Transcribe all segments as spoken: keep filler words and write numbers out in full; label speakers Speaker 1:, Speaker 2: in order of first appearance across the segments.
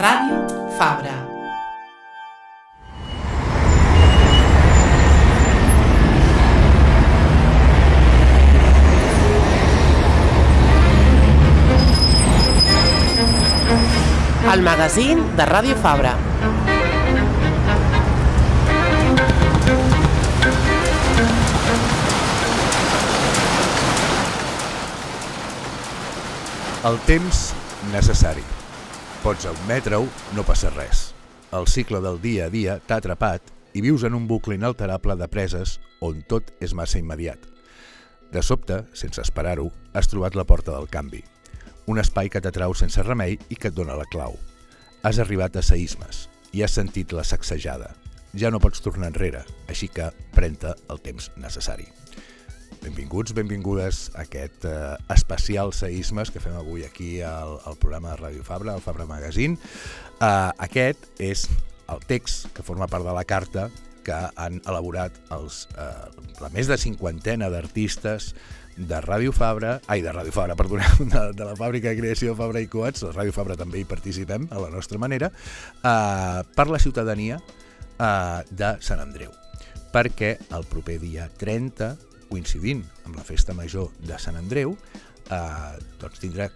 Speaker 1: Ràdio Fabra. El magazín de Ràdio Fabra.
Speaker 2: El temps necessari. Pots admetre-ho, no passa res. El cicle del dia a dia t'ha atrapat i vius en un bucle inalterable de preses on tot és massa immediat. De sobte, sense esperar-ho, has trobat la porta del canvi. Un espai que t'atrau sense remei i que et dona la clau. Has arribat a Seismes i has sentit la sacsejada. Ja no pots tornar enrere, així que pren-te el temps necessari. Benvinguts, benvingudes a aquest eh, especial Seismes que fem avui aquí al, al programa de Ràdio Fabra, al Fabra Magazine. Uh, aquest és el text que forma part de la carta que han elaborat els, uh, la més de cinquantena d'artistes de Ràdio Fabra, ai, de Ràdio Fabra, perdoneu, de, de la fàbrica de creació Fabra i Coats, a Ràdio Fabra també hi participem a la nostra manera, uh, per la ciutadania uh, de Sant Andreu, perquè el proper dia trenta, coincidint amb la Festa Major de Sant Andreu, eh, doncs tindrà,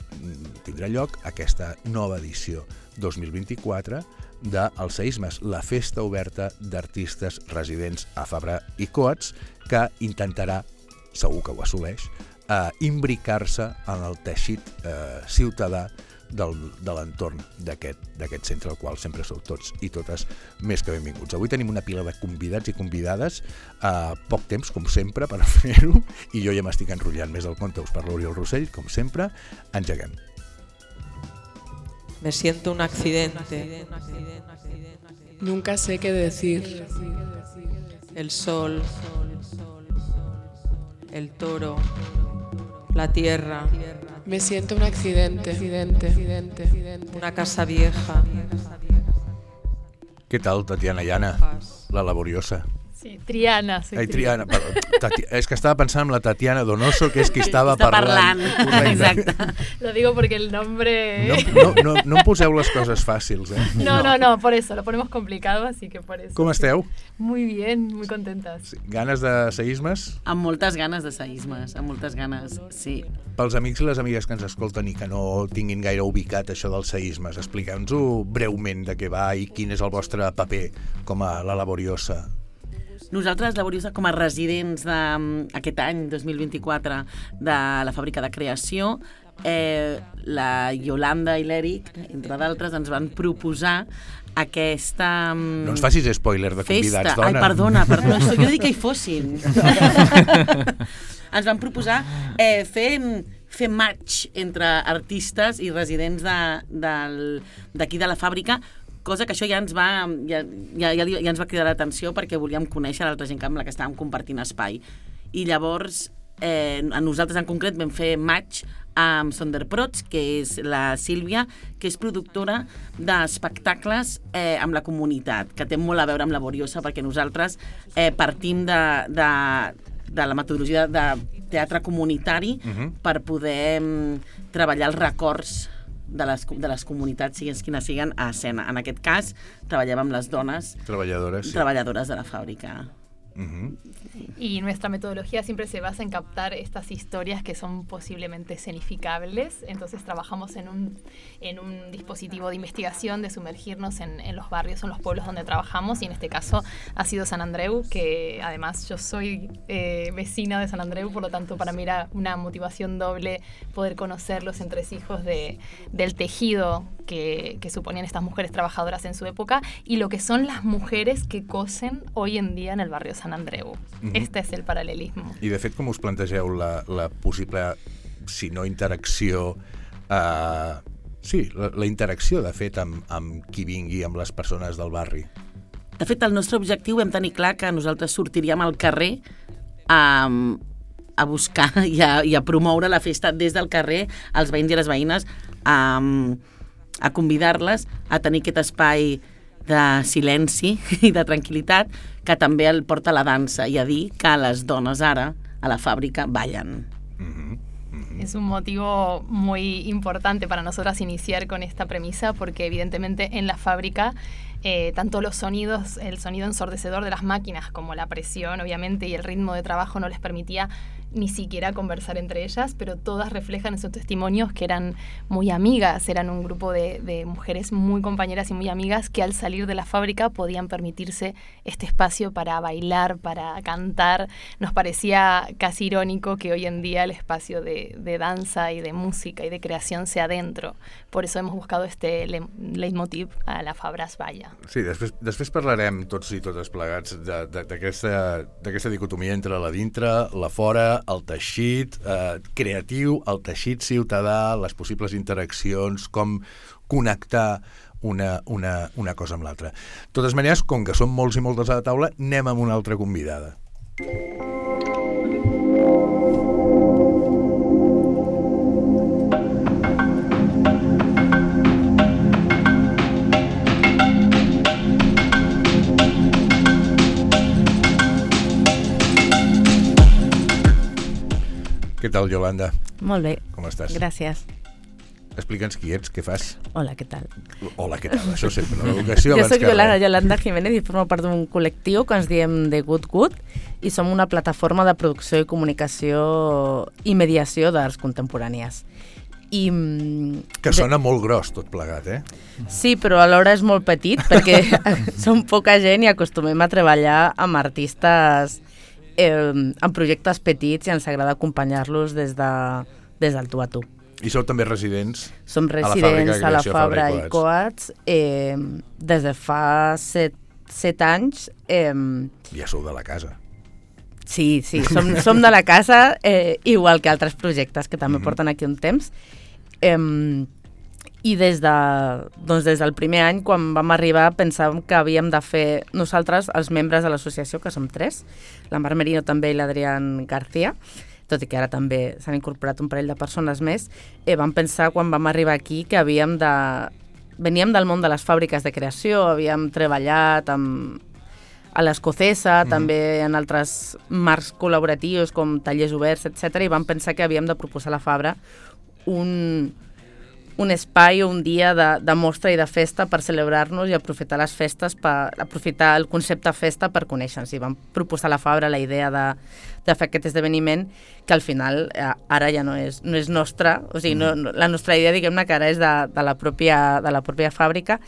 Speaker 2: tindrà lloc aquesta nova edició dos mil vint-i-quatre del Seismes, la festa oberta d'artistes residents a Fabra i Coats, que intentarà, segur que ho assoleix, eh, imbricar-se en el teixit eh, ciutadà del, de l'entorn d'aquest centre, al qual sempre sou tots i totes més que benvinguts. Avui tenim una pila de convidats i convidades, eh, poc temps, com sempre, per fer-ho, i jo ja m'estic enrotllant més del compte. Us parla Oriol Rossell, com sempre. Engeguem.
Speaker 1: Me siento un accidente.
Speaker 3: Nunca sé qué decir.
Speaker 1: El sol, el toro, la tierra.
Speaker 3: Me siento un accidente, accidente, accidente, accidente.
Speaker 1: Una casa vieja.
Speaker 2: Què tal, Tatiana Llana, la laboriosa?
Speaker 4: Sí, Triana. Soy
Speaker 2: Ai, Triana. Triana. Tati... És que estaba pensando en la Tatiana Donoso, que és qui estava
Speaker 5: Està
Speaker 2: parlant.
Speaker 5: parlant. Exacte.
Speaker 4: Lo digo porque el nombre...
Speaker 2: No, no, no, no em poseu les coses fàcils, eh?
Speaker 4: No, no, no, por eso, lo ponemos complicado, así que por eso.
Speaker 2: Com esteu?
Speaker 4: Muy bien, muy contentas.
Speaker 2: Sí. Ganes de seismes?
Speaker 5: Amb moltes ganes de seismes, amb moltes ganes, sí.
Speaker 2: Pels amics i les amigues que ens escolten i que no tinguin gaire ubicat això dels seismes, expliqueu-nos-ho breument de què va i quin és el vostre paper com a la laboriosa.
Speaker 5: Nosaltres, Laboriosa, com a residents d'aquest any, dos mil vint-i-quatre, de la fàbrica de creació, eh, la Yolanda i l'Eric, entre d'altres, ens van proposar aquesta
Speaker 2: No ens facis spoiler de convidats,
Speaker 5: festa.
Speaker 2: dona.
Speaker 5: Ai, perdona, perdona, jo no dic que hi fossin. Ens van proposar eh, fer... fer match entre artistes i residents d'aquí de, de, de la fàbrica, cosa que això ja ens va, ja, ja, ja, ja ens va cridar l'atenció perquè volíem conèixer l'altra gent amb la que estàvem compartint espai. I llavors, eh, a nosaltres en concret vam fer match amb Sonderprots, que és la Sílvia, que és productora d'espectacles eh, amb la comunitat, que té molt a veure amb Laboriosa, perquè nosaltres eh, partim de, de, de la metodologia de teatre comunitari uh-huh. per poder um, treballar els records de les, de les comunitats, siguin quines siguen, a escena. En aquest cas, treballem amb les dones
Speaker 2: treballadores, sí.
Speaker 5: treballadores de la fàbrica.
Speaker 2: Uh-huh.
Speaker 4: Y nuestra metodología siempre se basa en captar estas historias que son posiblemente escenificables. Entonces trabajamos en un, en un dispositivo de investigación, de sumergirnos en, en los barrios, en los pueblos donde trabajamos, y en este caso ha sido San Andreu, que además yo soy eh, vecina de San Andreu, por lo tanto para mí era una motivación doble poder conocer los entresijos de, del tejido que, que suponían estas mujeres trabajadoras en su época y lo que son las mujeres que cosen hoy en día en el barrio San Andreu. Uh-huh. Este és el paral·lelisme.
Speaker 2: I de fet, com us plantegeu la, la possible, si no interacció, eh, sí, la, la interacció de fet amb, amb qui vingui, amb les persones del barri?
Speaker 5: De fet, el nostre objectiu vam tenir clar que nosaltres sortiríem al carrer a, a buscar i a, i a promoure la festa des del carrer als veïns i les veïnes, a, a convidar-les a tenir aquest espai de silenci i de tranquil·litat que també el porta la dansa i a dir que les dones ara a la fàbrica ballen.
Speaker 2: Mm-hmm. Mm-hmm.
Speaker 4: es un motivo muy importante para nosotras iniciar con esta premisa, porque evidentemente en la fábrica eh, tanto los sonidos, el sonido ensordecedor de las máquinas como la presión, obviamente, y el ritmo de trabajo no les permitía ni siquiera conversar entre ellas, pero todas reflejan en sus testimonios que eran muy amigas, eran un grupo de, de mujeres muy compañeras y muy amigas que al salir de la fábrica podían permitirse este espacio para bailar, para cantar. Nos parecía casi irónico que hoy en día el espacio de, de danza y de música y de creación sea dentro. Por eso hemos buscado este le, leitmotiv a la Fabra es balla.
Speaker 2: Sí, després, després parlarem tots i totes plegats d'aquesta dicotomia entre la dintre, la fora, el teixit eh, creatiu, el teixit ciutadà, les possibles interaccions, com connectar una, una, una cosa amb l'altra. De totes maneres, com que som molts i moltes a la taula, anem amb una altra convidada. Què tal, Yolanda?
Speaker 6: Molt bé.
Speaker 2: Com estàs?
Speaker 6: Gràcies.
Speaker 2: Explica'ns qui ets, què fas.
Speaker 6: Hola, què tal?
Speaker 2: Hola, què tal? Això sempre, no? L'educació
Speaker 6: Jo
Speaker 2: abans
Speaker 6: soc
Speaker 2: que
Speaker 6: Yolanda,
Speaker 2: res.
Speaker 6: Yolanda Jiménez i formo part d'un col·lectiu que ens diem The Good Good i som una plataforma de producció i comunicació i mediació d'arts contemporànies. I,
Speaker 2: que sona molt gros tot plegat, eh?
Speaker 6: Sí, però alhora és molt petit perquè som poca gent i acostumem a treballar amb artistes eh, en projectes petits i ens agrada acompanyar-los des, de, des del tu a tu.
Speaker 2: I sou també residents?
Speaker 6: Som residents a la Fabra i Coats eh, des de fa set, set anys. Eh,
Speaker 2: ja sou de la casa.
Speaker 6: Sí, sí, som, som de la casa, eh, igual que altres projectes que també mm-hmm. porten aquí un temps. Eh, I des, de, doncs des del primer any, quan vam arribar, pensàvem que havíem de fer nosaltres, els membres de l'associació, que som tres, la Mar Merino també i l'Adrián García, tot i que ara també s'han incorporat un parell de persones més, eh, vam pensar quan vam arribar aquí que havíem de... Veníem del món de les fàbriques de creació, havíem treballat amb... a l'Escocesa, mm-hmm. també en altres marcs col·laboratius com tallers oberts, etcètera, i vam pensar que havíem de proposar a la Fabra un, un espai o un dia de, de mostra i de festa per celebrar-nos i aprofitar les festes, per, aprofitar el concepte festa per conèixer-nos. I vam proposar a la Fabra la idea de, de fer aquest esdeveniment que al final eh, ara ja no és, no és nostra, o sigui, no, no, la nostra idea, diguem-ne, que ara és de, de, la pròpia, de la pròpia fàbrica,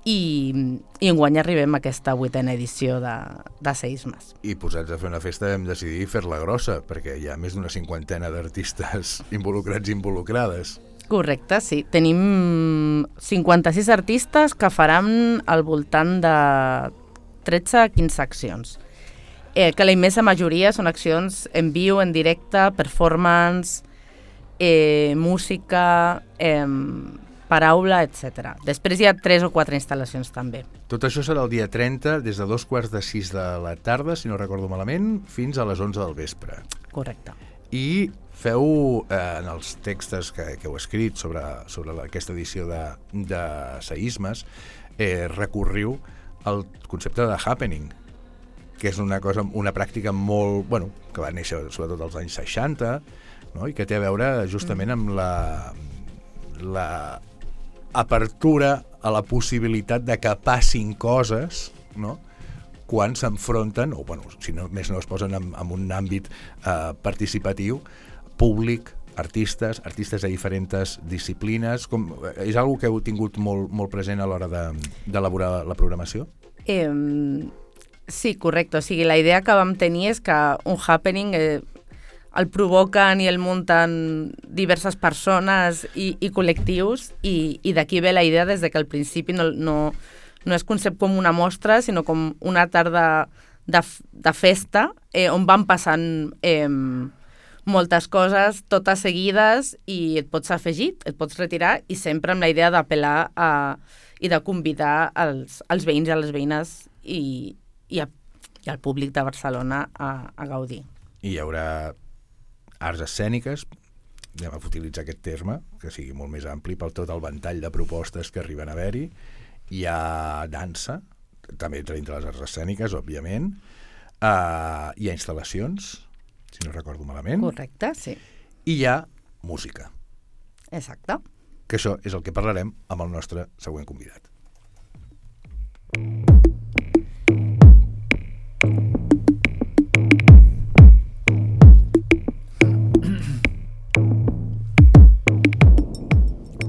Speaker 6: i, i enguany arribem a aquesta vuitena edició de, de Seismes.
Speaker 2: I posats a fer una festa vam decidir fer-la grossa, perquè hi ha més d'una cinquantena d'artistes involucrats i involucrades.
Speaker 6: Correcte, sí. Tenim cinquanta-sis artistes que faran al voltant de tretze a quinze accions. Eh, que la immensa majoria són accions en viu, en directe, performance, eh, música... Eh, paraula, etcètera. Després hi ha tres o quatre instal·lacions també.
Speaker 2: Tot això serà el dia trenta, des de dos quarts de sis de la tarda, si no recordo malament, fins a les onze del vespre.
Speaker 6: Correcte.
Speaker 2: I feu, eh, en els textos que, que heu escrit sobre, sobre la, aquesta edició de, de Seismes, eh, recorriu el concepte de happening, que és una cosa, una pràctica molt, bueno, que va néixer sobretot als anys seixanta, no? I que té a veure justament amb la... la apertura a la possibilitat de que passin coses, no? Quan s'enfronten, o bueno, si no, més no es posen en, en un àmbit eh, participatiu, públic, artistes, artistes de diferents disciplines. Com, és una cosa que heu tingut molt, molt present a l'hora d'elaborar de, la programació?
Speaker 6: Eh, sí, correcte. O sigui, la idea que vam tenir és que un happening... Eh, el provoquen i el munten diverses persones i, i col·lectius i, i d'aquí ve la idea des de que al principi no, no, no es concep com una mostra, sinó com una tarda de, de festa eh, on van passant eh, moltes coses, totes seguides, i et pots afegir, et pots retirar, i sempre amb la idea d'apel·lar a, i de convidar els, els veïns i les veïnes i, i, a, i al públic de Barcelona a, a gaudir.
Speaker 2: I hi haurà arts escèniques, anem a utilitzar aquest terme, que sigui molt més ampli per tot el ventall de propostes que arriben a haver-hi. Hi ha dansa, també entre les arts escèniques, òbviament. Uh, hi ha instal·lacions, si no recordo malament.
Speaker 6: Correcte, sí.
Speaker 2: I hi ha música.
Speaker 6: Exacte.
Speaker 2: Que això és el que parlarem amb el nostre següent convidat.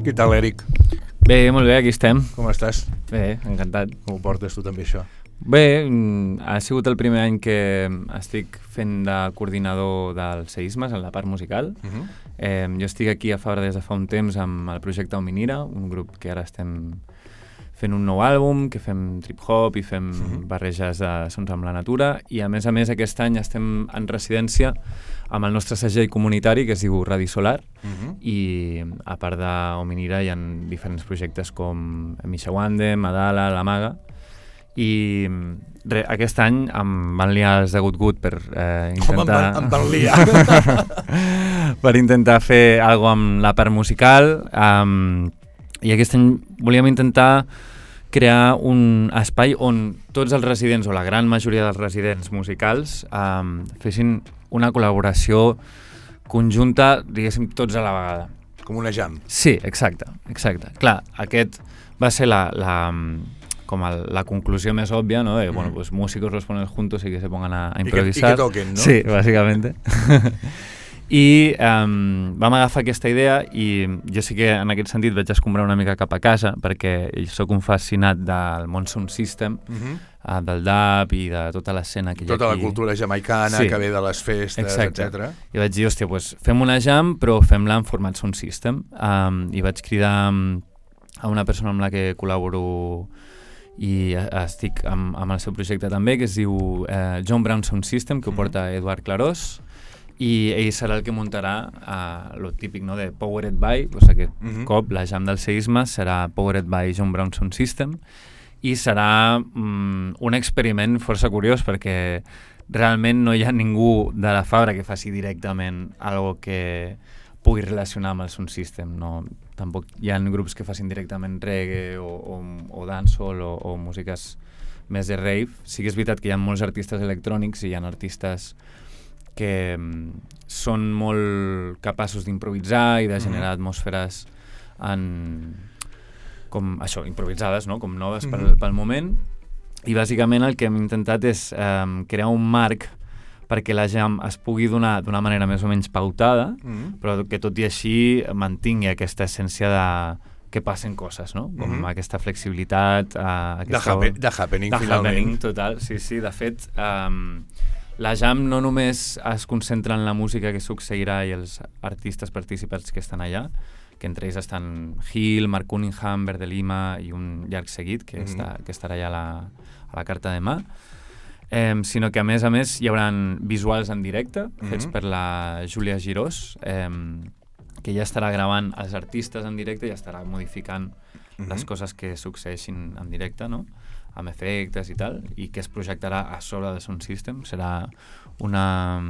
Speaker 2: Què tal, Eric?
Speaker 7: Bé, molt bé, aquí estem.
Speaker 2: Com estàs?
Speaker 7: Bé, encantat.
Speaker 2: Com ho portes tu també, això?
Speaker 7: Bé, ha sigut el primer any que estic fent de coordinador dels seismes en la part musical. Uh-huh. eh, jo estic aquí a Fabra des de fa un temps amb el projecte Ominira, un grup que ara estem fent un nou àlbum, que fem trip-hop i fem uh-huh. barreges de sons amb la natura, i a més a més aquest any estem en residència amb el nostre segell comunitari que es diu Radi Solar, uh-huh. i a part d'Ominira hi ha diferents projectes com Mishawande, Madala, La Maga, i re, aquest any em van liar els de Gut Gut per eh, intentar...
Speaker 2: Com em van, em van liar?
Speaker 7: per intentar fer alguna cosa amb la part musical, um, i aquest any volíem intentar crear un espai on tots els residents, o la gran majoria dels residents musicals, um, fessin una col·laboració conjunta, diguéssim, tots a la vegada.
Speaker 2: Com una jam.
Speaker 7: Sí, exacte, exacte. Clar, aquest va ser la... la com el, la conclusió més òbvia, ¿no? De, mm. bueno, pues músicos los ponen juntos y que se pongan a, a improvisar.
Speaker 2: I que, i que toquen, ¿no?
Speaker 7: Sí, bàsicament. I um, vam agafar aquesta idea i jo sí que en aquest sentit vaig escombrar una mica cap a casa perquè sóc un fascinat del món sound system, uh-huh. uh, del dub i de tota l'escena que hi ha
Speaker 2: tota
Speaker 7: aquí.
Speaker 2: La cultura jamaicana, sí. Que ve de les festes, etcètera.
Speaker 7: I vaig dir, hòstia, pues, fem una jam però fem-la en format sound system. Um, I vaig cridar a una persona amb la que col·laboro i estic amb, amb el seu projecte també, que es diu eh, John Brown Sound System, que ho porta Eduard Clarós, i ell serà el que muntarà eh, lo típic, no?, de Powered by, doncs aquest uh-huh. cop la jam del seisme serà Powered by John Brown Sound System, i serà mm, un experiment força curiós perquè realment no hi ha ningú de la Fabra que faci directament algo que pugui relacionar amb el sound system, no? Tampoc hi ha grups que facin directament reggae o, o, o dancehall o, o músiques més de rave. Sí que és veritat que hi ha molts artistes electrònics i hi ha artistes que mm, són molt capaços d'improvisar i de generar mm-hmm. atmosferes en, com això, improvisades, no? Com noves mm-hmm. pel, pel moment. I bàsicament el que hem intentat és eh, crear un marc perquè la jam es pugui donar d'una manera més o menys pautada, mm-hmm. però que tot i així mantingui aquesta essència de que passen coses, no? Com mm-hmm. aquesta flexibilitat... Uh, aquesta...
Speaker 2: De, happen, de happening,
Speaker 7: de
Speaker 2: finalment.
Speaker 7: Happening, total, sí, sí. De fet, um, la jam no només es concentra en la música que succeirà i els artistes participants que estan allà, que entre ells estan Gil, Mark Cunningham, Verde Lima i un llarg seguit que, mm-hmm. està, que estarà allà a la, a la carta de mà. Eh, sinó que a més a més hi haurà visuals en directe mm-hmm. fets per la Júlia Girós, eh, que ja estarà gravant els artistes en directe i ja estarà modificant mm-hmm. les coses que succeeixin en directe, no? Amb efectes i tal, i que es projectarà a sobre de Sound System. Serà una...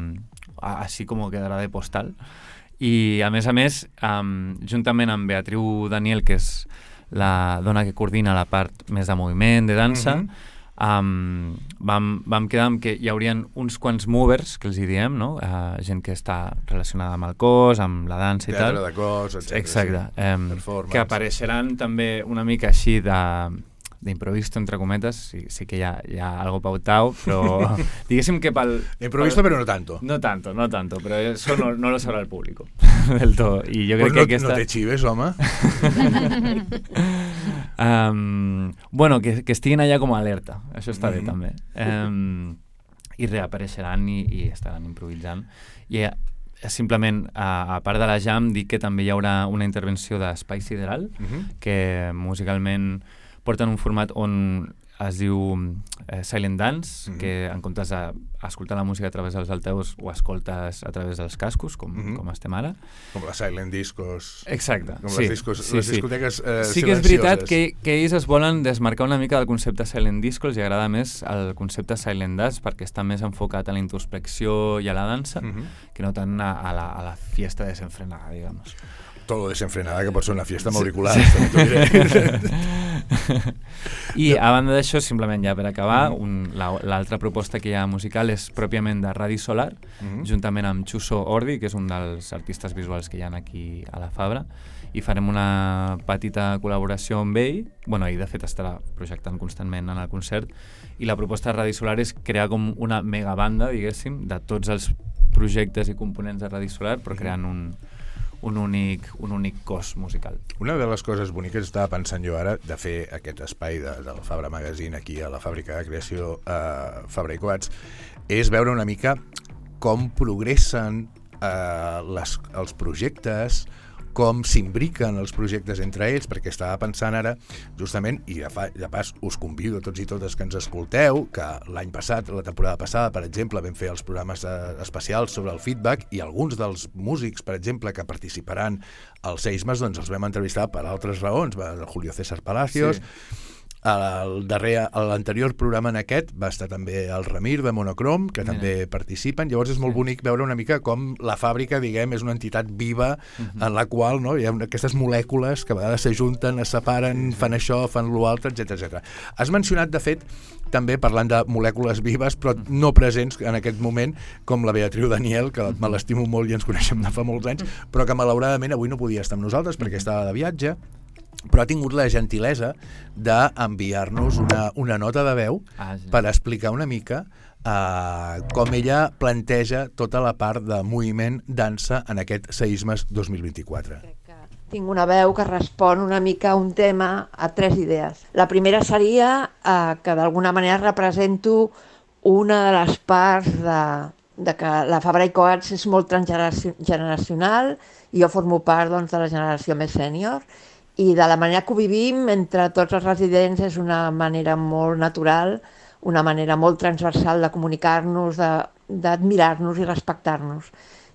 Speaker 7: així com quedarà de postal. I a més a més, um, juntament amb Beatriu Daniel, que és la dona que coordina la part més de moviment, de dansa, mm-hmm. Um, vam, vam quedar amb que hi haurien uns quants movers, que els hi diem, no? Uh, gent que està relacionada amb el cos, amb la dansa i
Speaker 2: teatre
Speaker 7: tal.
Speaker 2: De cos, etcètera.
Speaker 7: Exacte.
Speaker 2: Sí.
Speaker 7: Um, que apareixeran també una mica així de d'improvisto, entre cometes, sí, sí que hi ha, hi ha algo pautado, però diguéssim que pel...
Speaker 2: Improvisto,
Speaker 7: pel,
Speaker 2: però no tanto.
Speaker 7: No tanto, no tanto, però eso no, no lo sabrá el público del todo. I jo crec
Speaker 2: pues
Speaker 7: que
Speaker 2: no,
Speaker 7: aquesta...
Speaker 2: no te chives, home.
Speaker 7: um, bueno, que, que estiguin allà com a alerta, això està bé,
Speaker 2: mm-hmm.
Speaker 7: també. Um, I reapareixeran i, i estaran improvisant. I eh, simplement, a, a part de la jam, dic que també hi haurà una intervenció d'Espai Sideral, mm-hmm. que musicalment porten un format on es diu eh, Silent Dance, mm-hmm. que en comptes d'escoltar la música a través dels altaveus ho escoltes a través dels cascos, com, mm-hmm. com estem ara.
Speaker 2: Com les Silent Discos.
Speaker 7: Exacte,
Speaker 2: com
Speaker 7: sí.
Speaker 2: Les, discos,
Speaker 7: sí,
Speaker 2: les
Speaker 7: sí.
Speaker 2: discoteques eh,
Speaker 7: sí que és veritat que, que ells es volen desmarcar una mica del concepte Silent Disco, els agrada més el concepte Silent Dance perquè està més enfocat a la introspecció i a la dansa, mm-hmm. que no tant a, a, la, a la fiesta desenfrenada, digamos.
Speaker 2: Todo desenfrenada, que pot ser una fiesta amb
Speaker 7: sí,
Speaker 2: auriculars.
Speaker 7: sí. I a banda d'això, simplement ja per acabar, un, la, l'altra proposta que hi ha musical és pròpiament de Radi Solar, mm-hmm. juntament amb Xuso Ordi, que és un dels artistes visuals que hi ha aquí a la Fabra, i farem una petita col·laboració amb ell. Bueno, ell de fet estarà projectant constantment en el concert, i la proposta de Radi Solar és crear com una megabanda, diguéssim, de tots els projectes i components de Radi Solar, però creant un, un, únic, un únic cos musical.
Speaker 2: Una de les coses boniques que estava pensant jo ara de fer aquest espai de, del Fabra Magazine aquí a la fàbrica de creació eh, Fabra i Coats és veure una mica com progressen eh, les, els projectes, com s'imbriquen els projectes entre ells, perquè estava pensant ara, justament, i de, fa, de pas us convido a tots i totes que ens escolteu, que l'any passat, la temporada passada, per exemple, vam fer els programes eh, especials sobre el feedback, i alguns dels músics, per exemple, que participaran als Seismes, doncs els vam entrevistar per altres raons, el Julio César Palacios, sí. El darrer, l'anterior programa en aquest va estar també el Ramir de Monocrom, que Mira. també participen. Llavors és molt sí. bonic veure una mica com la fàbrica, diguem, és una entitat viva uh-huh. en la qual no, hi ha aquestes molècules que a vegades s'ajunten, es separen, sí, sí. fan això, fan l'altre, etcètera etcètera. Has mencionat, de fet, també parlant de molècules vives, però no presents en aquest moment, com la Beatriu Daniel, que me l'estimo molt i ens coneixem de fa molts anys, però que malauradament avui no podia estar amb nosaltres perquè estava de viatge, però ha tingut la gentilesa d'enviar-nos una, una nota de veu ah, sí. per explicar una mica uh, com ella planteja tota la part de moviment dansa en aquest Seismes dos mil vint-i-quatre.
Speaker 8: Crec que tinc una veu que respon una mica a un tema, a tres idees. La primera seria uh, que d'alguna manera represento una de les parts de, de que la Fabra i Coats és molt transgeneracional i jo formo part doncs, de la generació més sènior, i de la manera que ho vivim entre tots els residents és una manera molt natural, una manera molt transversal de comunicar-nos, d'admirar-nos i respectar-nos.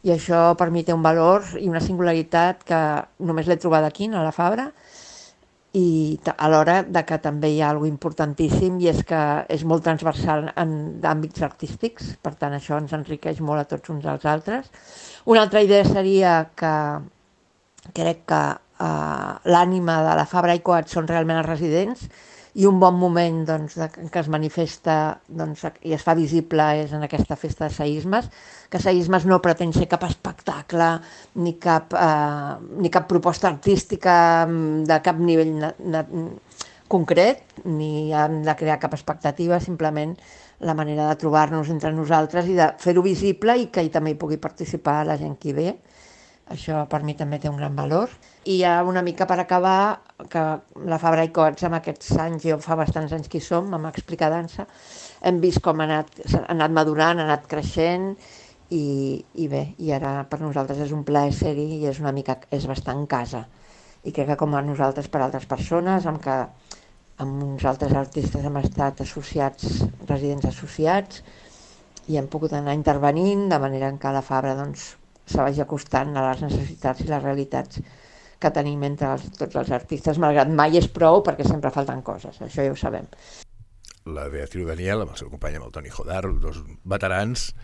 Speaker 8: I això per mi té un valor i una singularitat que només l'he trobat aquí, a la Fabra, i alhora de que també hi ha alguna importantíssim i és que és molt transversal en àmbits artístics, per tant això ens enriqueix molt a tots uns als altres. Una altra idea seria que crec que Uh, l'ànima de la Fabra i Coats són realment els residents i un bon moment doncs, de, que es manifesta doncs, i es fa visible és en aquesta festa de Seismes, que Seismes no pretén ser cap espectacle ni cap, uh, ni cap proposta artística de cap nivell na, na, concret, ni hem de crear cap expectativa, simplement la manera de trobar-nos entre nosaltres i de fer-ho visible i que hi també hi pugui participar la gent que hi ve. Això per mi també té un gran valor. I ja una mica per acabar, que la Fabra i Coats amb aquests anys, jo fa bastants anys que hi som, amb Explicar Dansa, hem vist com ha anat, ha anat madurant, ha anat creixent i, i bé, i ara per nosaltres és un plaer ser-hi i és una mica, és bastant casa. I crec que com a nosaltres per altres persones, amb que amb uns altres artistes hem estat associats, residents associats, i hem pogut anar intervenint de manera en què la Fabra doncs, se vagi acostant a les necessitats i les realitats que tenim entre els, tots els artistes, malgrat mai és prou perquè sempre falten coses, això ja ho sabem.
Speaker 2: La Beatriu Daniel, amb el seu company, amb el Toni Jodar, dos veterans,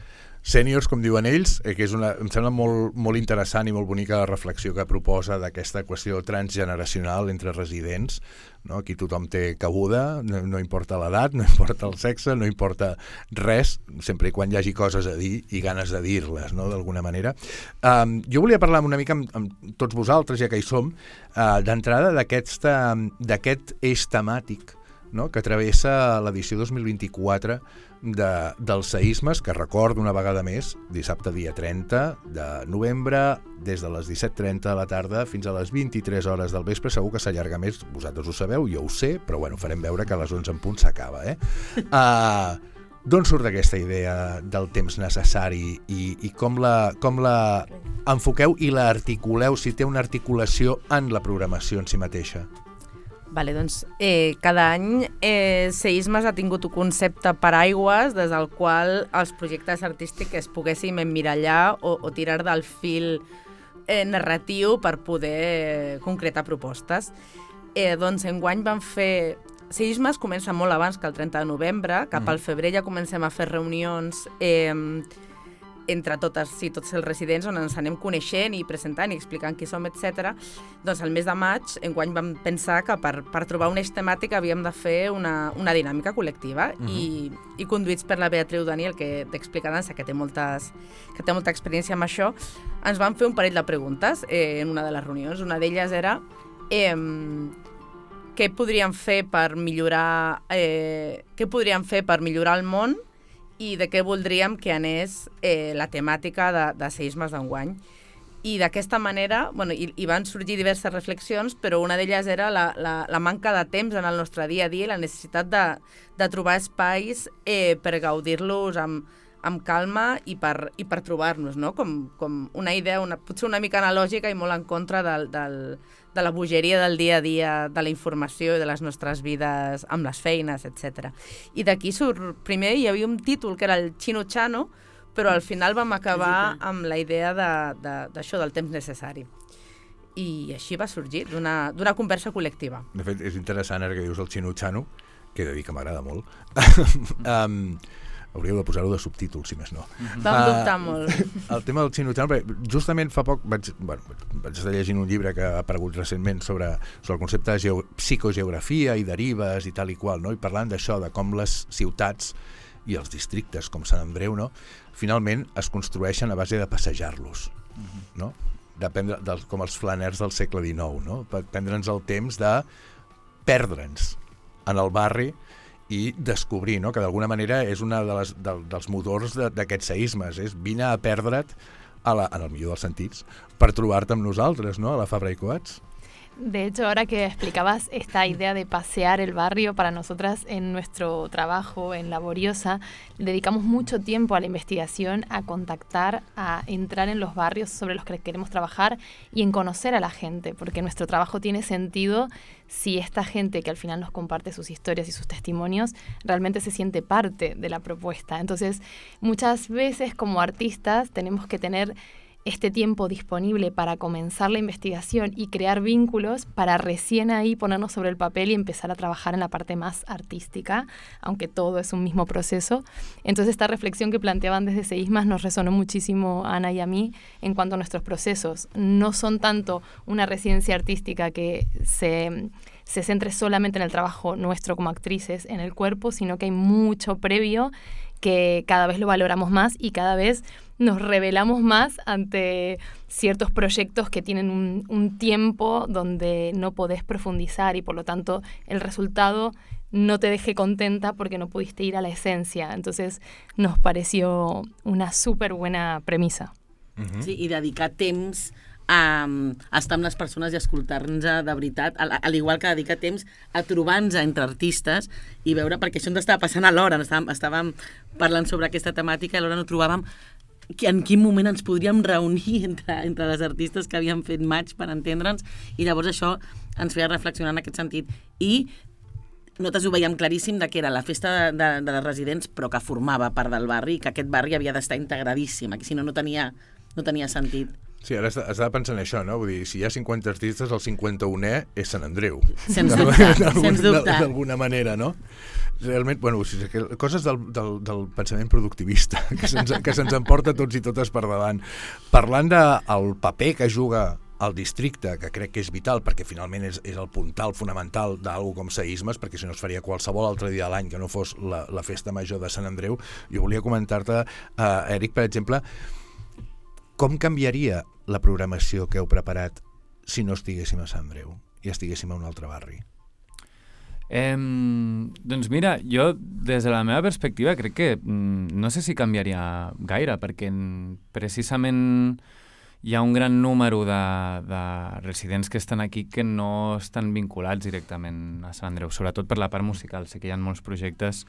Speaker 2: sèniors, com diuen ells, eh, que és una, em sembla molt, molt interessant i molt bonica la reflexió que proposa d'aquesta qüestió transgeneracional entre residents, no? Aquí tothom té cabuda, no, no importa l'edat, no importa el sexe, no importa res, sempre i quan hi hagi coses a dir i ganes de dir-les, no? D'alguna manera. Um, jo volia parlar una mica amb, amb tots vosaltres, ja que hi som, uh, d'entrada d'aquest eix temàtic, no? Que travessa l'edició dos mil vint-i-quatre de, dels Seismes, que recordo una vegada més, dissabte dia trenta de novembre, des de les disset trenta de la tarda fins a les vint-i-tres hores del vespre. Segur que s'allarga més, vosaltres ho sabeu, jo ho sé, però bueno, farem veure que a les onze en punt s'acaba. Eh? Uh, D'on surt aquesta idea del temps necessari i, i com, la, com la enfoqueu i la articuleu, si té una articulació en la programació en si mateixa?
Speaker 6: Vale, doncs eh, cada any eh, Seismes ha tingut un concepte paraigües des del qual els projectes artístics es poguéssim emmirallar o, o tirar del fil eh, narratiu per poder concretar propostes. Eh, doncs enguany vam fer... Seismes comença molt abans que el trenta de novembre, cap al febrer ja comencem a fer reunions eh, entre totes, sí, tots els residents, on ens anem coneixent i presentant i explicant qui som, etcètera. Doncs el mes de maig, enguany vam pensar que per, per trobar un eix temàtic havíem de fer una, una dinàmica col·lectiva uh-huh. i, i conduïts per la Beatriu Daniel, que t'explica dansa, que té, moltes, que té molta experiència amb això, ens van fer un parell de preguntes eh, en una de les reunions. Una d'elles era eh, què podríem fer per millorar eh, què podríem fer per millorar el món i de què voldríem que anés eh, la temàtica de, de seismes d'enguany. I d'aquesta manera, bueno, hi, hi van sorgir diverses reflexions, però una d'elles era la, la, la manca de temps en el nostre dia a dia i la necessitat de, de trobar espais eh, per gaudir-los amb, amb calma i per, i per trobar-nos, no? Com, com una idea, una, potser una mica analògica i molt en contra del, del, de la bogeria del dia a dia, de la informació i de les nostres vides amb les feines, etcètera. I d'aquí surt, primer hi havia un títol que era el Chino Chano, però al final vam acabar amb la idea d'això, de, de, del temps necessari. I així va sorgir, d'una conversa col·lectiva.
Speaker 2: De fet, és interessant ara que dius el Chino Chano, que he de dir que m'agrada molt. um, hauríeu de posar-ho de subtítols, si més no.
Speaker 6: Vam uh, dubtar molt.
Speaker 2: El tema del Chino Chano, justament fa poc vaig, bueno, vaig estar llegint un llibre que ha aparegut recentment sobre, sobre el concepte de geo, psicogeografia i derives i tal i qual, no? I parlant d'això, de com les ciutats i els districtes, com Sant Andreu, no? Finalment es construeixen a base de passejar-los, uh-huh. no? Depèn de, com els flaners del segle dinou, no? Per prendre'ns el temps de perdre'ns en el barri i descobrir, no? Que d'alguna manera és una de les, de, dels motors d'aquests seismes, és vine a perdre't, a la, en el millor dels sentits, per trobar-te amb nosaltres, no? A la Fabra i Coats.
Speaker 4: De hecho, ahora que explicabas esta idea de pasear el barrio, para nosotras en nuestro trabajo en Laboriosa dedicamos mucho tiempo a la investigación, a contactar, a entrar en los barrios sobre los que queremos trabajar y en conocer a la gente, porque nuestro trabajo tiene sentido si esta gente que al final nos comparte sus historias y sus testimonios realmente se siente parte de la propuesta. Entonces, muchas veces como artistas tenemos que tener este tiempo disponible para comenzar la investigación y crear vínculos para recién ahí ponernos sobre el papel y empezar a trabajar en la parte más artística, aunque todo es un mismo proceso. Entonces esta reflexión que planteaban desde Seismas nos resonó muchísimo a Ana y a mí en cuanto a nuestros procesos. No son tanto una residencia artística que se, se centre solamente en el trabajo nuestro como actrices, en el cuerpo, sino que hay mucho previo que cada vez lo valoramos más y cada vez nos revelamos más ante ciertos proyectos que tienen un, un tiempo donde no podés profundizar y por lo tanto el resultado no te deje contenta porque no pudiste ir a la esencia. Entonces nos pareció una súper buena premisa.
Speaker 5: Uh-huh. Sí, i dedicar temps a, a estar amb les persones i escoltar-nos de veritat, al, al igual que dedicar temps a trobar-nos entre artistes i veure, perquè això ens estava passant alhora, estàvem, estàvem parlant sobre aquesta temàtica i alhora no trobàvem en quin moment ens podríem reunir entre, entre les artistes que havíem fet maig per entendre'ns, i llavors això ens feia reflexionar en aquest sentit. I nosaltres ho veiem claríssim de que era la festa de, de, de les residents, però que formava part del barri, que aquest barri havia d'estar integradíssim, que si no, no tenia, no tenia sentit.
Speaker 2: Sí, ara estava pensant això, no? Vull dir, si hi ha cinquanta artistes, el cinquanta-unè és Sant Andreu.
Speaker 5: Sens dubte, sens dubte.
Speaker 2: D'alguna manera, no? Realment, bueno, coses del, del, del pensament productivista, que se'ns que se'ns emporta tots i totes per davant. Parlant del paper que juga el districte, que crec que és vital, perquè finalment és, és el puntal fonamental d'alguna com Seismes, perquè si no es faria qualsevol altre dia de l'any que no fos la, la festa major de Sant Andreu. Jo volia comentar-te, uh, Eric, per exemple, com canviaria la programació que heu preparat si no estiguéssim a Sant Andreu i estiguéssim a un altre barri?
Speaker 7: Eh, doncs mira, jo des de la meva perspectiva crec que mm, no sé si canviaria gaire, perquè precisament hi ha un gran número de, de residents que estan aquí que no estan vinculats directament a Sant Andreu, sobretot per la part musical. Sé que hi ha molts projectes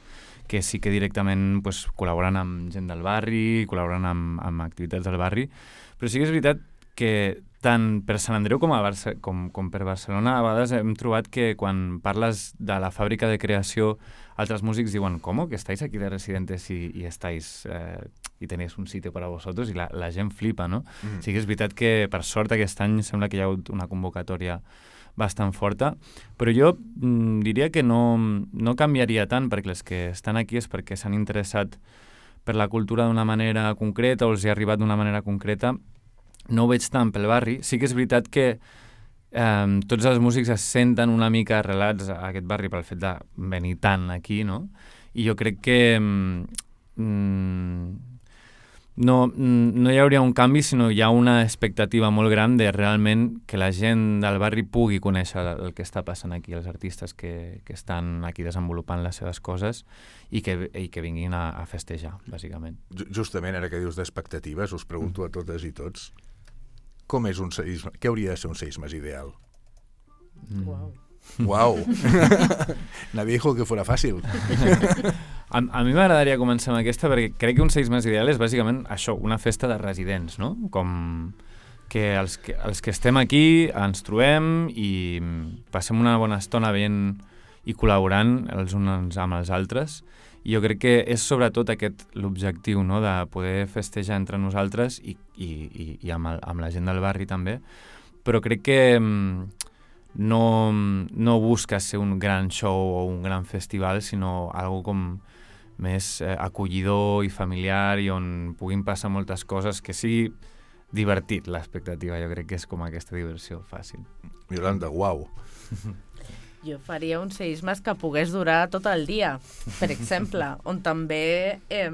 Speaker 7: que sí que directament pues, col·laboren amb gent del barri, col·laboren amb, amb activitats del barri, però sí que és veritat que tant per Sant Andreu com, a Barce com, com per Barcelona a vegades hem trobat que quan parles de la fàbrica de creació altres músics diuen, ¿cómo? Que estáis aquí de residentes y, y estáis eh, y tenéis un sitio para vosotros, i la, la gent flipa, no? Mm. Sí que és veritat que per sort aquest any sembla que hi ha hagut una convocatòria bastant forta, però jo mm, diria que no, no canviaria tant, perquè els que estan aquí és perquè s'han interessat per la cultura d'una manera concreta o els hi ha arribat d'una manera concreta. No ho veig tant pel barri. Sí que és veritat que eh, tots els músics es senten una mica arrelats a aquest barri pel fet de venir tant aquí, no? I jo crec que mm, no, no hi hauria un canvi, sinó hi ha una expectativa molt gran de realment que la gent del barri pugui conèixer el que està passant aquí, els artistes que, que estan aquí desenvolupant les seves coses i que, i que vinguin a, a festejar, bàsicament.
Speaker 2: Justament, ara que dius d'expectatives, us pregunto a totes i tots, com és un seisme? Què hauria de ser un seismes ideal?
Speaker 7: Mm.
Speaker 5: Uau.
Speaker 2: Uau! Nadie dijo que fuera fàcil.
Speaker 7: A, a mi m'agradaria començar amb aquesta perquè crec que un seismes ideal és bàsicament això, una festa de residents, no? Com que els que, els que estem aquí ens trobem i passem una bona estona veient i col·laborant els uns amb els altres. I jo crec que és sobretot aquest l'objectiu, no? De poder festejar entre nosaltres i, i, i, i amb, el, amb la gent del barri també, però crec que no, no busca ser un gran show o un gran festival, sinó algo com més eh, acollidor i familiar i on puguin passar moltes coses, que sigui divertit l'expectativa. Jo crec que és com aquesta diversió fàcil.
Speaker 2: Yolanda, uau!
Speaker 6: Jo faria un seismes que pogués durar tot el dia, per exemple, on també eh,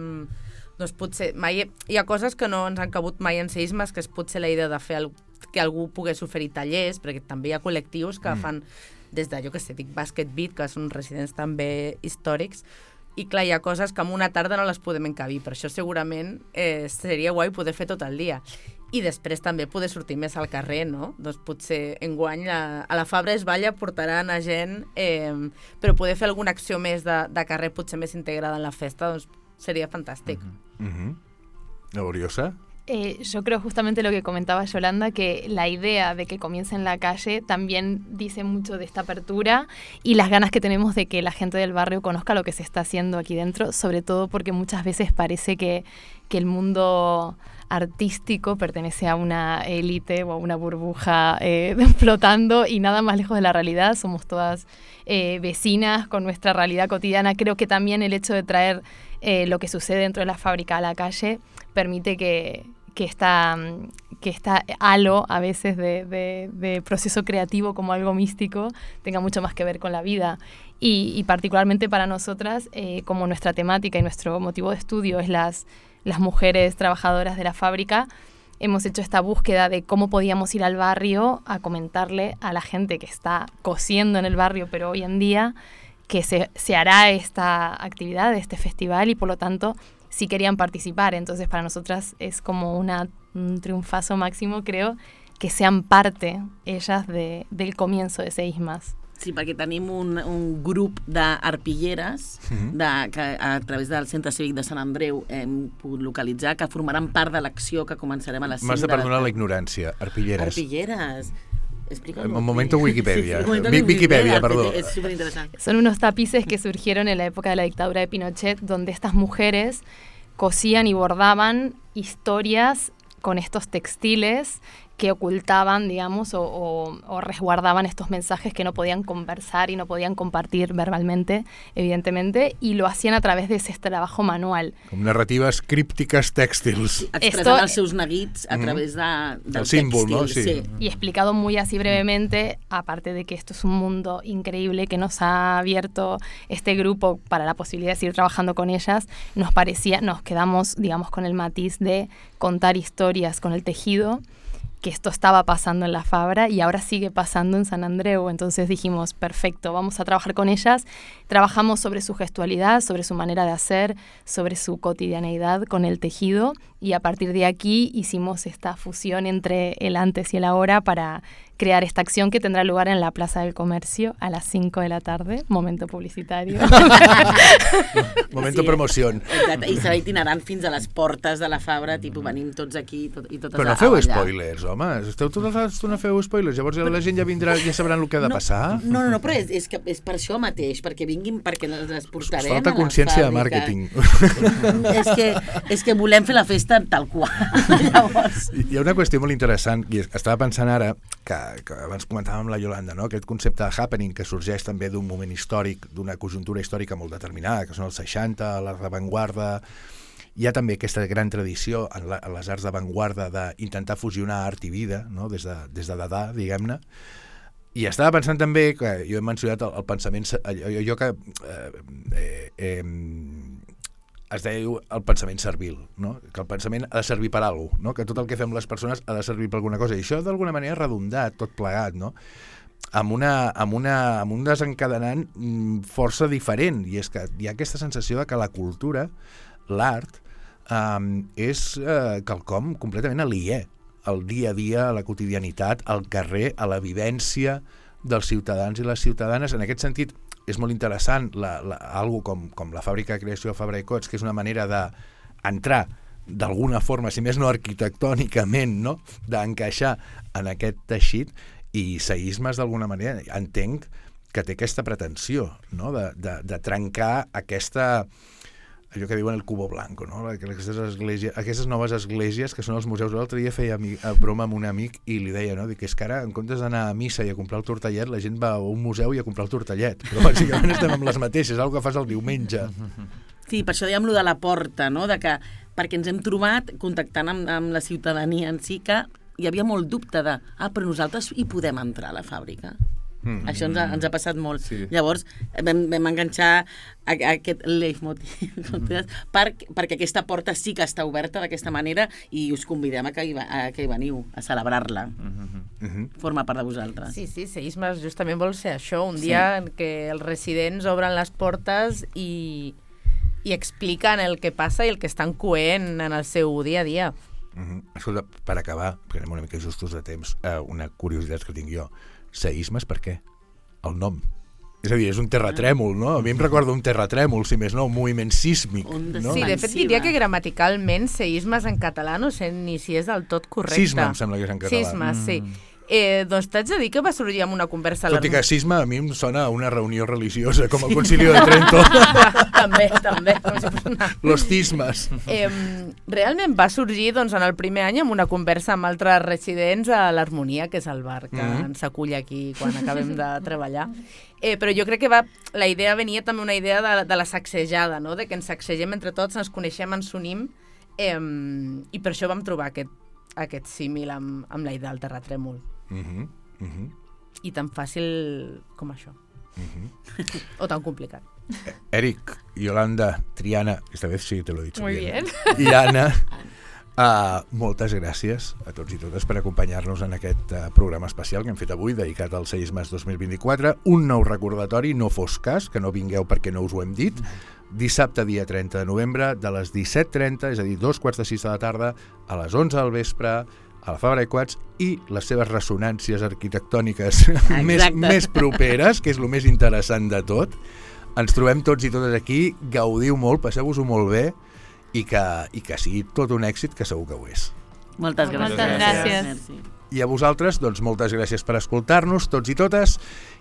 Speaker 6: doncs potser mai, hi ha coses que no ens han cabut mai en seismes, que és potser la idea de fer el, que algú pogués oferir tallers, perquè també hi ha col·lectius que mm. fan des de, jo què sé, dic Basket Beat, que són residents també històrics, i clar, hi ha coses que en una tarda no les podem encabir, per això segurament eh, seria guai poder fer tot el dia. I després també poder sortir més al carrer, no? Doncs potser enguany a, a la Fabra es Balla portaran a gent, eh, però poder fer alguna acció més de, de carrer potser més integrada en la festa, doncs sería fantástico.
Speaker 2: Uh-huh. Uh-huh. ¿Laboriosa?
Speaker 4: Eh, yo creo justamente lo que comentaba Yolanda, que la idea de que comience en la calle también dice mucho de esta apertura y las ganas que tenemos de que la gente del barrio conozca lo que se está haciendo aquí dentro, sobre todo porque muchas veces parece que, que el mundo artístico pertenece a una élite o a una burbuja eh, flotando y nada más lejos de la realidad. Somos todas eh, vecinas con nuestra realidad cotidiana. Creo que también el hecho de traer eh, lo que sucede dentro de la fábrica a la calle permite que, que, esta, que esta halo a veces de, de, de proceso creativo como algo místico tenga mucho más que ver con la vida. Y, y particularmente para nosotras, eh, como nuestra temática y nuestro motivo de estudio es las las mujeres trabajadoras de la fábrica, hemos hecho esta búsqueda de cómo podíamos ir al barrio a comentarle a la gente que está cosiendo en el barrio, pero hoy en día, que se, se hará esta actividad, este festival, y por lo tanto sí querían participar. Entonces para nosotras es como una, un triunfazo máximo, creo, que sean parte ellas de, del comienzo de Seismas.
Speaker 5: Sí, perquè tenim un, un grup d'arpilleres mm-hmm. de, que a través del Centre Cívic de Sant Andreu hem pogut localitzar, que formaran part de l'acció que començarem a les cinc.
Speaker 2: M'has de perdonar la ignorància. Arpilleres.
Speaker 5: Arpilleres. Explícalo.
Speaker 2: Un momento Wikipedia.
Speaker 5: Sí, sí,
Speaker 2: Wikipedia, Wikipedia, perdón.
Speaker 5: Es súper interesante.
Speaker 4: Son unos tapices que surgieron en la época de la dictadura de Pinochet, donde estas mujeres cosían y bordaban historias con estos textiles que ocultaban, digamos, o, o, o resguardaban estos mensajes que no podían conversar y no podían compartir verbalmente, evidentemente, y lo hacían a través de ese trabajo manual.
Speaker 2: Com narratives críptiques tèxtils.
Speaker 5: Expressant els seus neguits a través de, del
Speaker 2: el símbol,
Speaker 5: textil.
Speaker 2: ¿no? Sí.
Speaker 4: Sí. Y explicado muy así brevemente, aparte de que esto es un mundo increíble que nos ha abierto este grupo para la posibilidad de seguir trabajando con ellas, nos parecía, nos quedamos, digamos, con el matiz de contar historias con el tejido, que esto estaba pasando en la Fabra y ahora sigue pasando en San Andreu. Entonces dijimos, perfecto, vamos a trabajar con ellas. Trabajamos sobre su gestualidad, sobre su manera de hacer, sobre su cotidianeidad con el tejido, y a partir de aquí hicimos esta fusión entre el antes y el ahora para crear esta acción que tendrá lugar en la Plaza del Comercio a las cinco de la tarde, momento publicitario.
Speaker 2: Momento sí. Promoció.
Speaker 5: Exacte, i serà itinerant fins a les portes de la Fabra, tipus venim tots aquí tot, i totes
Speaker 2: Però no
Speaker 5: a
Speaker 2: feu
Speaker 5: ballar.
Speaker 2: Spoilers, home, esteu tota l'estona feu spoilers, llavors la gent ja vindrà, ja sabran el que ha de
Speaker 5: no,
Speaker 2: passar.
Speaker 5: No, no, no, però és, és, que és per això mateix, perquè vinguin, perquè les portarem
Speaker 2: falta
Speaker 5: a la
Speaker 2: consciència de
Speaker 5: fàbrica.
Speaker 2: màrqueting.
Speaker 5: és, que, és que volem fer la festa tal qual. Llavors...
Speaker 2: Hi ha una qüestió molt interessant, i estava pensant ara, que, que abans comentàvem amb la Yolanda, no? Aquest concepte de happening que sorgeix també d'un moment històric, d'una conjuntura històrica molt determinada, que són els seixanta, la revanguarda, hi ha també aquesta gran tradició en, la, en les arts d'avantguarda d'intentar fusionar art i vida, no? des de, des de Dada, diguem-ne. I estava pensant també, que jo he mencionat el, el pensament, allò, allò que eh, eh, eh, es deia el pensament servil, no? Que el pensament ha de servir per alguna cosa, no? Que tot el que fem les persones ha de servir per alguna cosa. I això d'alguna manera ha redondat, tot plegat, no? Amb, una, amb, una, amb un desencadenant força diferent, i és que hi ha aquesta sensació de que la cultura, l'art, um, és uh, quelcom completament aliè al dia a dia, a la quotidianitat, al carrer, a la vivència dels ciutadans i les ciutadanes. En aquest sentit, és molt interessant la, la, algo com, com la fàbrica de creació Fabra i Coats, que és una manera d'entrar d'alguna forma, si més no arquitectònicament, no? D'encaixar en aquest teixit. I Seismes, d'alguna manera, entenc que té aquesta pretensió, no? de, de, de trencar aquesta, allò que diuen el cubo blanco, no? Aquestes, esglésies, aquestes noves esglésies que són els museus. L'altre dia feia amic, broma amb un amic i li deia, no? Dic, és que ara, en comptes d'anar a missa i a comprar el tortellet, la gent va a un museu i a comprar el tortellet. Però bàsicament estem amb les mateixes, és una cosa que fas el diumenge.
Speaker 5: Sí, per això dèiem lo de la porta, no? De que, perquè ens hem trobat contactant amb, amb la ciutadania en si, que hi havia molt dubte de, ah, però nosaltres hi podem entrar a la fàbrica. Mm. Això ens ha, ens ha passat molt. Sí. Llavors vam, vam enganxar a, a aquest leitmotiv mm. per, perquè aquesta porta sí que està oberta d'aquesta manera i us convidem a que hi, a que hi veniu, a celebrar-la. Mm-hmm. Mm-hmm. Forma part de vosaltres.
Speaker 6: Sí, sí, Seismes justament vol ser això, un dia sí. en què els residents obren les portes i, i expliquen el que passa i el que estan coent en el seu dia a dia.
Speaker 2: Mm-hmm. Escolta, per acabar, perquè anem una mica justos de temps, eh, una curiositat que tinc jo. Seismes, per què? El nom. És a dir, és un terratrèmol, no? A mi em recorda un terratrèmol, si més no, un moviment sísmic. No?
Speaker 6: Sí, de fet diria que gramaticalment seismes en català no sé ni si és del tot correcte.
Speaker 2: Sisme, em sembla que és en català.
Speaker 6: Sisme, mm. sí. Eh, doncs t'haig de dir que va sorgir amb una conversa...
Speaker 2: Tot i que sisme a mi em sona a una reunió religiosa, com el Concilio de Trento.
Speaker 6: també, també. Una...
Speaker 2: Los cismes.
Speaker 6: Eh, realment va sorgir doncs, en el primer any amb una conversa amb altres residents a l'Harmonia, que és el bar que mm-hmm. ens acull aquí quan acabem de treballar. Eh, però jo crec que va, la idea venia també una idea de, de la sacsejada, no? De que ens sacsegem entre tots, ens coneixem, ens unim, eh, i per això vam trobar aquest, aquest símil amb, amb la idea del terratrèmol. Uh-huh, uh-huh. I tan fàcil com això. Uh-huh. O tan complicat.
Speaker 2: Eric, Yolanda, Triana, esta vez sí te lo he dicho
Speaker 3: Muy
Speaker 2: bien.
Speaker 3: bien.
Speaker 2: I Anna, uh, moltes gràcies a tots i totes per acompanyar-nos en aquest uh, programa especial que hem fet avui, dedicat al Seismes dos mil vint-i-quatre. Un nou recordatori, no fos cas, que no vingueu perquè no us ho hem dit. Dissabte, dia trenta de novembre, de les disset trenta, és a dir, dos quarts de sis de la tarda, a les onze del vespre, a la Fabra i Coats, i les seves ressonàncies arquitectòniques més, més properes, que és el més interessant de tot. Ens trobem tots i totes aquí, gaudiu molt, passeu-vos-ho molt bé, i que, i que sigui tot un èxit, que segur que ho és.
Speaker 5: Moltes gràcies.
Speaker 4: Moltes gràcies.
Speaker 2: I a vosaltres, doncs, moltes gràcies per escoltar-nos, tots i totes.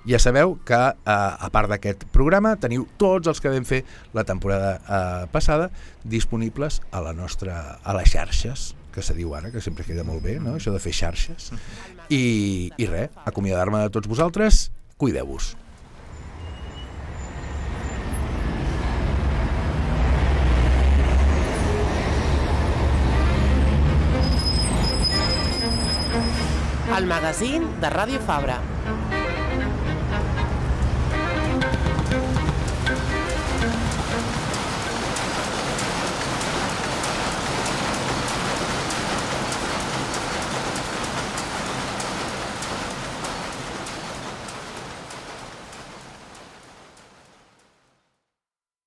Speaker 2: Ja sabeu que, eh, a part d'aquest programa, teniu tots els que vam fer la temporada eh, passada disponibles a la nostra, a les xarxes, que se diu ara, que sempre queda molt bé, no? Això de fer xarxes. I, i res, acomiadar-me de tots vosaltres, cuideu-vos.
Speaker 1: El magazín de Ràdio Fabra.